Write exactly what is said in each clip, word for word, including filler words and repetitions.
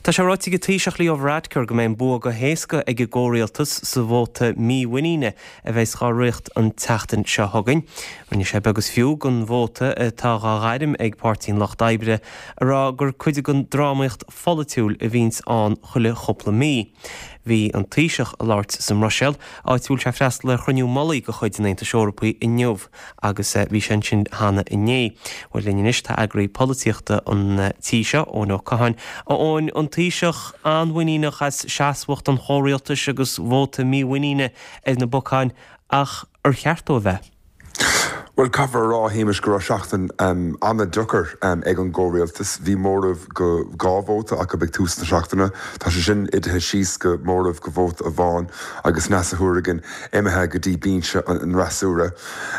Tá sé ráite ag an Taoiseach Leo Varadkar go mbeidh an bua go héasca ag an gcomhrialtas sa vóta mímhuiníne a bheas á rith an tseachtain seo chugainn. Rinne sé beag is fiú den vóta atá á ghairm ag Páirtí an Lucht Oibre ag rá gur cuid den drámaíocht pholaitiúil a bhíonns ann chuile chúpla mí. Bhí an Taoiseach ag labhairt sa mBruiséil áit a bhfuil sé ag freastal ar chruinniú mullaigh de chuid an Aontais Eorpaigh inniu agus bhí sé ansin cheana inné. Bhuel linn anois tá eagraí polaitíochta an tí seo Eoin Ó Catháin. Eoin an Taoiseach an-mhuiníneach as seasmhacht an chomhrialtais agus vóta mímhuiníne ar na bacáin ach ar cheart dó a bheith. Well caithfear a rá a Shéamais go raibh seachtain um, an-deacair um, ag an gcomhrialtas, bhí móramh go dhá vóta acu ag tús na seachtaine, Tá sé sin íslithe síos go móramh go vóta amháin agus Neasa Hourigan imithe go dtí binse an fhreasúra.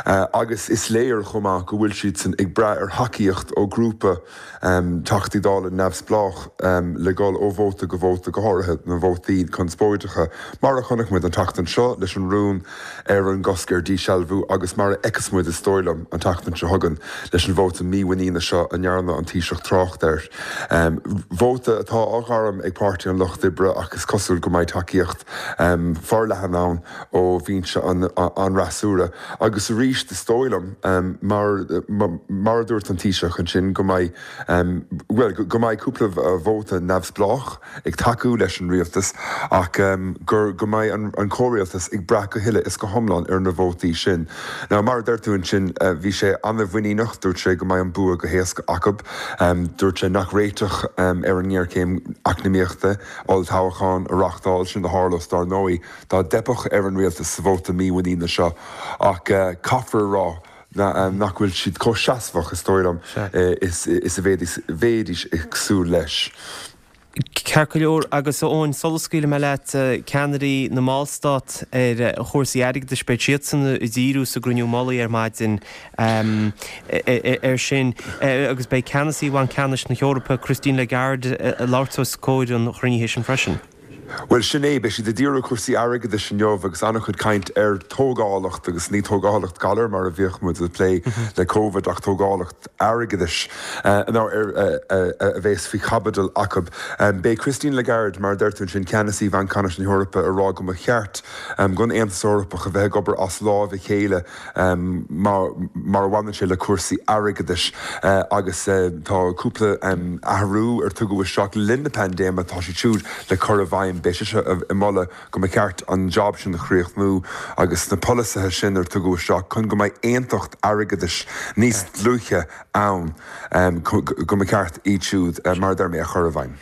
Uh, agus is léir chomh maith go bhfuil siad san ag brath ar thacaíocht ó grúpa um, Teachtaí Dála neamhspleách um, le dul ó vóta go vóta go háirithe na vótaí conspóideacha, mar a chonaic muid an tseachtain seo leis an rún ar an gcosc ar dísealbhú agus mar a fheicfeas muid is dóigh liom an tseachtain seo chugainn leis an vóta mímhuiníne seo a ndearna an Taoiseach trácht air. Um, vóta atá á ghairm ag Páirtí an Lucht Oibre agus cosúil go mbeidh tacaíocht um, forleathan ann ó bhinse an, an fhreasúra. agus arís is dóigh liom um, mar, mar, mar a dúirt an Taoiseach ansin go mbeidh um, well, go mbeidh cúpla vóta neamhspleách ag tacú leis an rialtas ach um, gur go mbeidh an, an comhrialtas ag brath go huile is go hiomlán ar na vótaí sin. Now mar deir tú ansin uh, bhí sé an-mhuiníneach dúirt sé go mbeidh an bua go héasca acu um, dúirt sé nach réiteach um, ar an ngéarchéim eacnamaíochta olltoghchán a reáchtáil sin a tharlódh dar ndóigh dá dteipfeadh ar an rialtas sa vóta mímhuiníne seo ach uh, caithfear rá na, um, nach bhfuil siad chomh seasmhach is dóigh liom uh, is, is a bheifí ag súil leis. Ceart go leor agus ón solascaíle me leat ceannairí na mballstát ar chúrsaí airgeadais beidh siadsan ag díriú sa gcruinniú mullaigh ar maidin ar sin agus beidh ceannasaí Bhanc Ceannais na hEorpa Christine Lagarde ag labhairt os comhair an chruinnithe sin freisin. Well sin é beidh siad ag díriú cúrsaí airgeadais inniu agus an-chuid caint ar tógálacht agus ní tógálacht galar mar a bhíodh muid ag plé le COVID ach tógálacht airgeadais uh, ar uh, uh, a bheas faoi chaibidil acu. Um, Beidh Christine Lagarde mar deir tú sin ceannasaí Bhanc Ceannais na hEorpa ag rá go mba cheart um, don Aontas Eorpach a bheith ag obair as lámh a chéile um, mar, mar a bhaineann sé le cúrsaí airgeadais uh, agus uh, tá cúpla um, athrú ar tugadh isteach le linn na paindéime tá siad siúd le cur i bhfeidhm beidh sise ag moladh go mba cheart an job sin a chríochnú agus na polasaithe sin ar tugadh isteach chun go mbeidh aontacht airgeadais níos dlúithe ann um, go mba cheart iad siúd uh, mar deir mé a chur i bhfeidhm.